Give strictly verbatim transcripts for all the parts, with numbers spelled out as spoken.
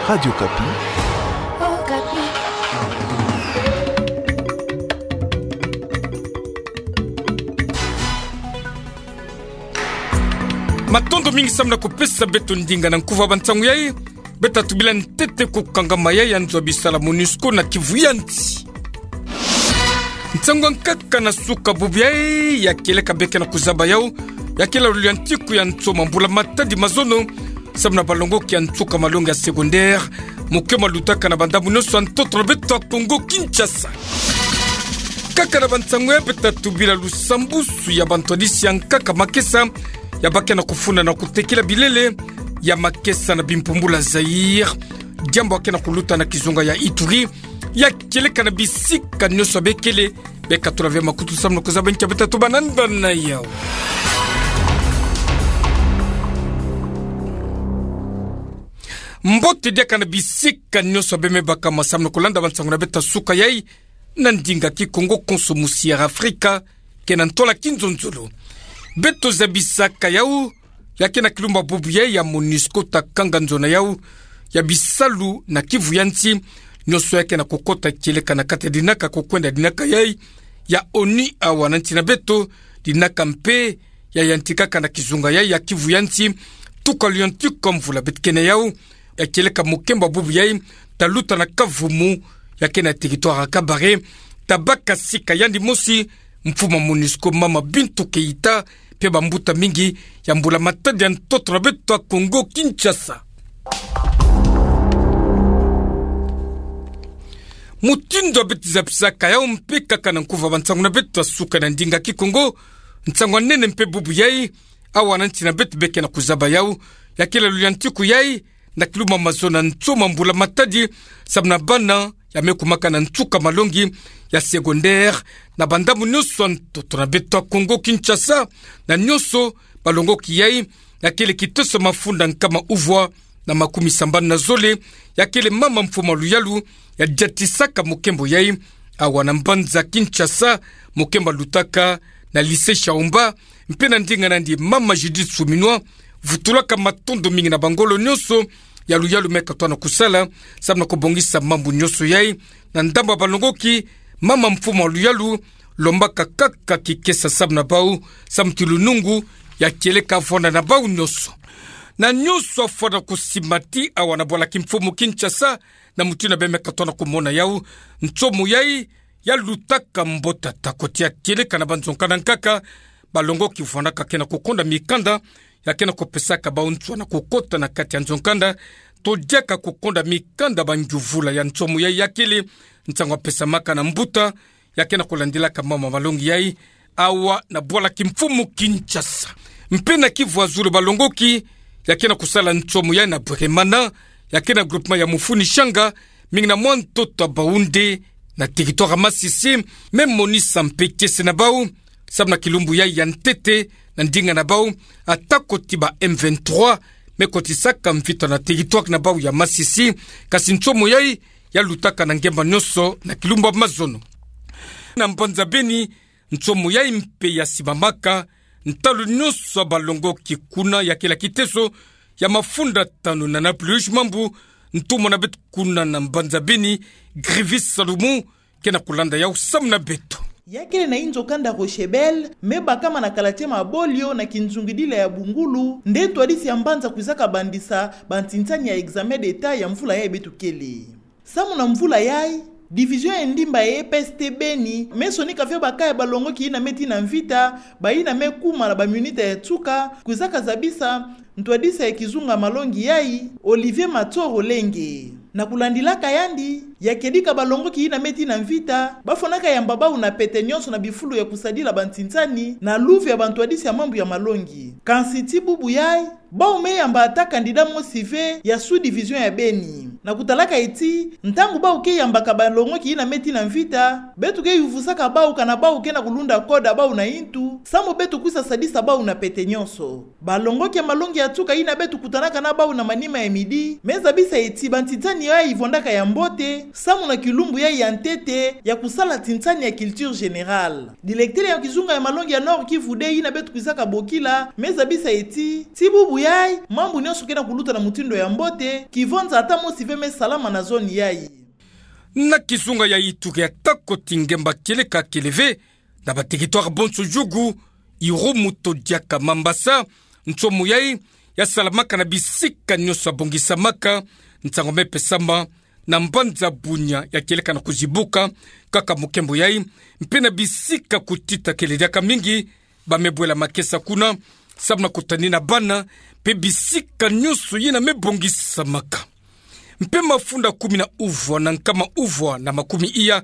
Radio Okapi. Matondo mingi samu na kupesa beto ndinga na nkuva bansangu yai. Beta tubila ntete kukangama yai ya nzo bisala MONUSCO na Kivu ya nsi. Nsangu ya nkaka na suka bubu yai ya kieleka be ke na kuzaba yau, ya kele lulyantiku ya ntsoma mbula matadi mazono, samu na balongoki ya nsuka malongi ya secondaire, muke malutaka na bandambu nyonso ya ntoto na beto ya Kongo Kinshasa. Nkaka na bansangu yai beta tubila lusambusu ya bantwadisi ya nkaka makesa, ya ba ke na kufunda na kutekila bilele ya makesa na bimpumbula Zaïre. Diambu ya ke na kuluta na kizunga ya Ituri, ya kieleka na bisika nyonso bekele. Beka tula ve makutu samu na kuzaba nkia beta tuba na nda na yau. Mbote diaka na bisika nyonso beme baka masamu na kulanda bansangu na beta suka yai, na ndinga Kikongo konso musiera Afrika, ke na ntola kinzonzolo. Beto zabisaka yau, ya ke na kilumbu bubu yai ya MONUSCO ta kanga nzo na yau ya bisalu na Kivu ya nsi, nyonso ya ke na kukota kieleka na kati ya dinaka kukwenda dinaka yai ya ONU awa na nsi na beto, dinaka mpe ya yantikaka na kizunga yai ya Kivu ya nsi, tuka lulyantiku ya mvula beto ke na yau, ya kieleka muke mba bubu yai, ta luta na kavumu ya ke na territoire ya Kabare, ta baka sika yandi mosi, mfumu ya MONUSCO mama Bintou Keita, mpe bambuta mingi ya mbula matadi ya ntoto na beto ya Kongo Kinshasa. Mutindu ya beto zabisaka yau mpe nkaka na nkuva bansangu na beto ya suka na ndinga Kikongo, nsangu ya nene mpe bubu yai, awa na nsi na beto be ke na kuzaba yau, ya kele lulyantiku yai, na kilumbu mazono ya ntsoma mbula matadi, samu na bana ya me kumaka na nsuka malongi ya secondaire, na bandambu nyonso ya ntoto na beto ya Kongo Kinshasa, na nyonso balongoki yai, ya kele kiteso mafunda nkama uvwa na makumi sambanu na zole, ya kele mama mfumu ya luyalu ya diatisaka muke mbo yai, awa na mbanza Kinshasa, muke mbo lutaka na lycée Shaumba, mpe na ndinga nandi mama Judith Suminwa, vutulaka matondo mingi na bangolo nyonso ya luyalu me katwa na kusala, samu na kubongisa mambu nyonso yai, na ndambu ya balongoki, mama mfumu ya luyalu, lombaka kaka kikesa samu na bau, samu ti lunungu ya kieleka vwanda na bau nyonso. Na nyonso ya fwana kusimati awa na bwala kimfumu Kinshasa, na mutindu beme katwa na kumona yau, nsomo yai, ya lutaka mbo tata koti ya kieleka na banzo-nkanda nkaka, balongoki vwandaka ke na kukonda mikanda, ya ke na kupesaka bau nswa na kukota na kati ya nzo-nkanda, to diaka kukonda mikanda bangyuvula ya nsomo yai ya kele, nsangu ya pesamaka na mbuta, ya ke na kulandilaka mama malongi yai, awa na bwala kimfumu Kinshasa. Mpe na Kivu ya zulu balongoki, ya ke na kusala nsomo yai na Bweremana, ya ke na groupement ya Mufuni Shanga, mingi na mwa ntoto ya Baoundé, na territoire ya Masisi, me monisa mpe kiese na bau, samu na kilumbu yai ya ntete, na ndinga na bau, ata koti ba M vingt-trois me kotisaka mvita na territoire na bau ya Masisi, kasi nsomo yai, ya lutaka na ngemba nyonso na kilumbu ya mazono. Na mbanza Beni, nsomo yai mpe ya simbamaka, ntalu nyonso ya balongoki kuna ya kele kiteso ya mafunda tanu na Napoleon Mambu, ntumwa na beto kuna na mbanza Beni, Grivis Salumu, ke na kulanda yau samu na beto. Ya kele na inzo kanda Rochebel, me bakama na kalatie Mabolio na kinzungidila ya Bungulu, nde ntwadisi ya mbanza kwizaka bandisa bantinsani ya examen d'État ya mvula yai beto kele. Samu na mvula yai, division ya ndimba ya E P S T Beni, me sonika ve bakaya balongoki yina me tii na mvita, bayina me kuma na baminita ya nsuka, kwizaka zabisa ntwadisi ya kizunga malongi yai, Olivier Matsoro Lenge. Na kulandilaka yandi, ya kedika balongoki yina me tii na mvita, bafwanaka yamba bau na pete nyonso na bifulu ya kusadila bantinsani, na luve ya bantwadisi ya mambu ya malongi. Kansi ti bubu yai, bau me yamba ata candidat mosi ve ya sous-division ya Beni. Na kutalaka ti, ntangu bau ke yambaka balongoki yina me tii na mvita, beto ke yuvusaka bau kana bau ke na kulunda code ya bau na intu, samu beto kwisa sadisa bau na pete nyonso. Balongoki ya malongi ya nsuka yina beto kutanaka na bau na manima ya midi, me zabisa ti bantinsani yai vwandaka ya mbote, samu na kilumbu yai ya ntete, ya kusala tinsani ya culture générale. Directeur ya kizunga ya malongi ya Nord-Kivu deux yina beto kwizaka bokila, me zabisa ti, ti bubu yai, mambu nyonso ke na kuluta na mutindu ya mbote, kivonza ata mosi ve me salama na zone yayi. Na kizunga ya Ituri, atako ti ngemba kieleka kele ve na ba territoire bonso, Djugu, Irumu to diaka Mambasa, nsomo yayi ya salamaka na bisika nyonso ya bongisamaka, nsangu me pesama na mbanza Bunia ya kieleka na kuzibuka kaka mukembo yayi, mpe na bisika kutita kele diaka mingi, ba me bwela makesa kuna, samu na kutanina bana, mpe bisika nyonso yina me bongisamaka. Mpe mafunda kumi na uvwa na nkama uvwa na makumi iya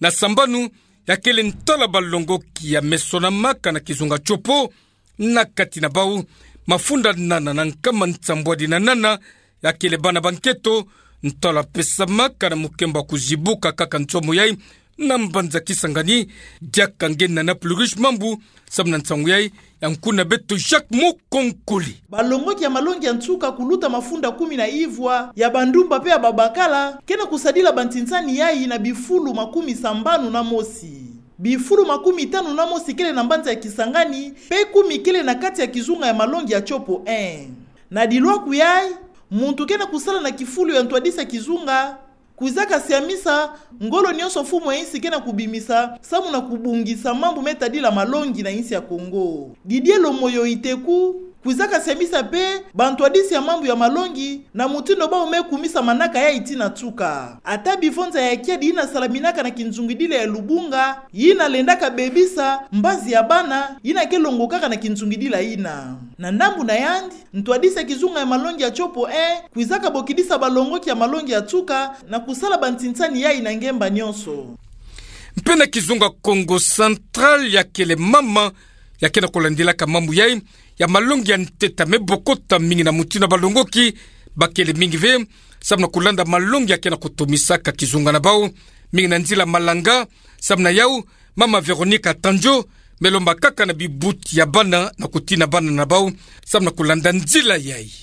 na sambanu ya kele ntwala balongoki ya me sonamaka na kizunga Tshopo, na kati na bau, mafunda nana na nkama nsambwadi na nana ya kele bana ba nketo, ntwala pesamaka na mukembo ya kuzibuka kaka nsomo yayi, na mbanza Kisangani, diaka nge na Naplurish Mambu, samu na nsangu yayi ya nkuna beto Jacques Mukonkole. Balongoki ya malongi ya nsuka kuluta mafunda kumi na ivwa ya bandumba mpe ya babakala, ke na kusadila bansinsani yayi na bifulu makumi sambanu na mosi. Bifulu makumi tanu na mosi kele na mbanza ya Kisangani, mpe kumi kele na kati ya kizunga ya malongi ya Tshopo un. Na dilwaku yayi, muntu ke na kusala na kifulu ya ntwadisi ya kizunga, kwizaka siamisa ngolo nyonso mfumu ya insi ke na kubimisa, samu na kubongisa mambu me tadila malongi na insi ya Kongo. Didier Lomoyo Iteku, kwizaka siamisa mpe bantwadisi ya mambu ya malongi na mutindu bau me kumisa manaka yayi tii na nsuka. Ata bivonza ya kiadi yina salaminaka na kinzungidila ya lubunga, yina lendaka bebisa mbazi ya bana, yina ke longokaka na kinzungidila yina. Na ndambu na yandi, ntwadisi ya kizunga ya malongi ya Tshopo un kwizaka bokidisa balongoki ya malongi ya nsuka na kusala bansinsani yayi na ngemba nyonso. Mpe na kizunga Kongo Central, ya kele mama ya ke na kulandilaka mambu yayi ya malongi ya ntete me bokota mingi na mutindu balongoki ba kele mingi ve, samu na kulanda malongi ya ke na kutomisaka kizunga na bau, mingi na nzila malanga. Samu na yau, mama Veronica Tanjo me lomba kaka na bibuti ya bana na kutina bana na bau, samu na kulanda nzila yayi.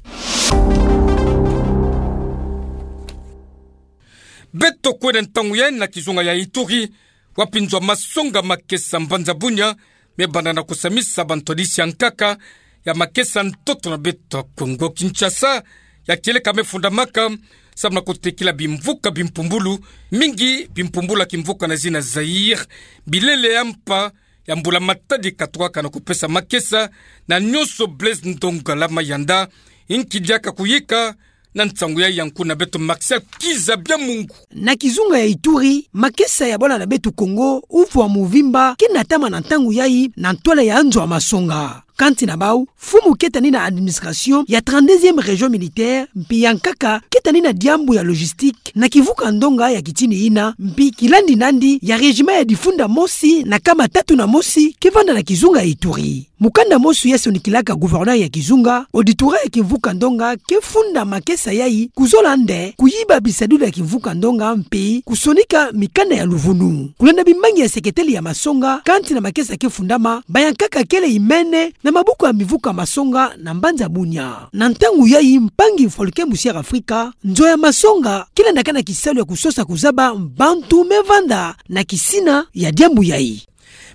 Beto kwenda ntangu yayi na kizunga ya Ituri, wapi nzo ya masonga makesa mbanza Bunia me banda na kusamisa bantwadisi ya nkaka ya makesa ntoto na beto Kongo Kinshasa, ya kieleka me fundamaka, samu na kutekila bimvuka bimpumbulu, mingi bimpumbulu ya kimvuka na zina Zaïre, bilele ya mpa ya mbula matadi katukaka na kupesa makesa na nyonso Blaise Ndongala Mayanda, inki diaka kuyika, na nsangu yayi ya nkuna beto Martial Kiza Bya Mungu. Na kizunga ya Ituri, makesa ya bwala na beto Kongo uvwa muvimba ke na tama na ntangu yayi na ntwala ya nzo ya masonga. Kansi na bau, mfumu ke tani na administration ya trente-deuxième région militaire, mpi ya nkaka ke tani na diambu ya logistique na kivuka ndonga ya kitini yina, mpi kilandi nandi ya régiment ya difunda mosi na kama tatu na mosi ke vanda na kizunga ya Ituri. Mukanda mosi ya sonikilaka gouverneur ya kizunga, auditora ya kimvuka ndonga ke funda makesa yayi kuzola nde kuyiba bisadulu ya kimvuka ndonga mpi kusonika mikanda ya luvunu. Kulanda bimangi ya seketeli ya masonga, kansi na makesa ke fundama, ba ya nkaka kele imene na mabuku ya mivuka masonga na mbanza Bunia. Na ntangu yayi mpangi Mfoluke Musière Afrika, nzo ya masonga ke landaka na kisalu ya kusosa kuzaba bantu me vanda na kisina ya diambu yayi.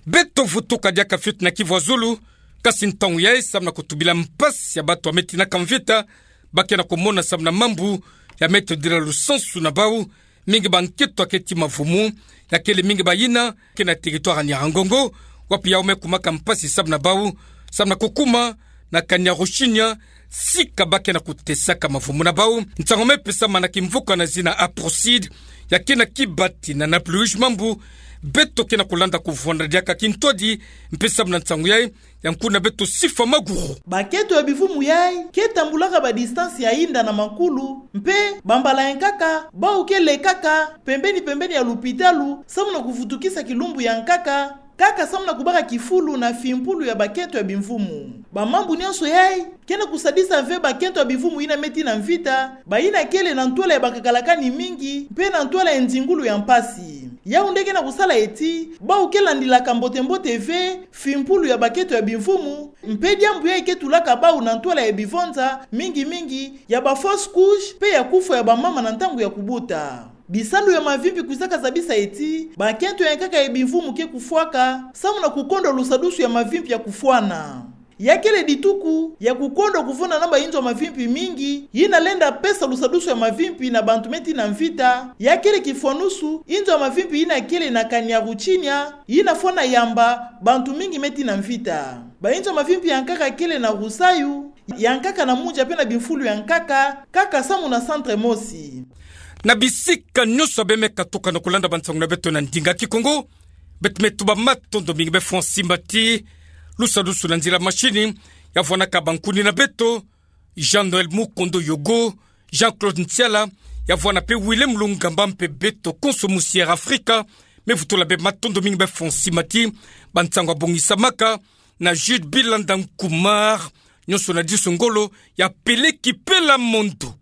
Beto vutuka diaka fioti na Kivu ya Zulu, kasi ntangu yayi samu na kutubila mpasi ya bantu ya me tinaka mvita, ba ke na kumona samu na mambu ya me tadila lusansu na bau, mingi ba nketo ya keti mavumu, ya kele mingi bayina ke na territoire ya Nyiragongo, wapi yau me kumaka mpasi samu na bau, samu na kukuma na Kanyaruchinya, sika ba ke na kutesaka mavumu na bau. Nsangu me pesama na kimvuka na zina Aprocide, ya ke na kibati na Naplurish Mambu, beto ke na kulanda kuvwanda diaka kintwadi, mpe samu na nsangu yayi, ya nkuna beto Sifa Maguru. Ba nketo ya bivumu yayi ke tambulaka ba distance ya inda na makulu, mpe bambala ya nkaka bau ke lekaka pembeni pembeni ya lupitalu, samu na kuvutukisa kilumbu ya nkaka, kaka samu na kubaka kifulu na fimpulu ya ba nketo ya bivumu. Ba mambu nyonso yayi ke na kusadisa ve ba nketo ya bivumu yina me tii na mvita, bayina kele na ntwala ya bakakalakani mingi mpe na ntwala ya nzingulu ya mpasi. Yau nde ke na kusala eti bau ke landilaka mbote mbote ve fimpulu ya ba nketo ya bivumu, mpe diambu yayi ke tulaka bau na ntwala ya bivonza, mingi mingi ya ba fausse couche mpe ya kufwa ya bamama na ntangu ya kubuta. Bisalu ya mavimpi kwizaka zabisa eti ba nketo ya nkaka ya bivumu ke kufwaka, samu na kukondwa lusadusu ya mavimpi ya kufwana. Ya kele dituku ya kukondo kuvuna na bainzo ya mavimpi mingi yina lenda pesa lusadusu ya mavimpi na bantu me tina mvita. Ya kele kifwanusu, inzo ya mavimpi yina kele na Kanyaruchinya, yina fwana yamba bantu mingi me tina mvita. Bainzo ya mavimpi ya nkaka kele na Rusayu, ya nkaka na Mudia pe na bimfulu ya nkaka, kaka samu na centre mosi. Na bisika nyonso ya beno me katuka na kulanda bansangu na beto na ndinga Kikongo, beto me tuba matondo mingi be Francis Mati. Lusadusu na nzila machine, ya vwanaka bankuni na beto, Jean-Noël Mukondo Yogo, Jean-Claude Ntiala, ya vwana pe Willem Lungamba mpe beto konso musi Air Afrika, me vutula beno matondo mingi be Francis Mati. Bansangu ya bongisamaka na Jude Bilanda Nkumar, nyonso na diso ngolo, ya peleki pela mondo.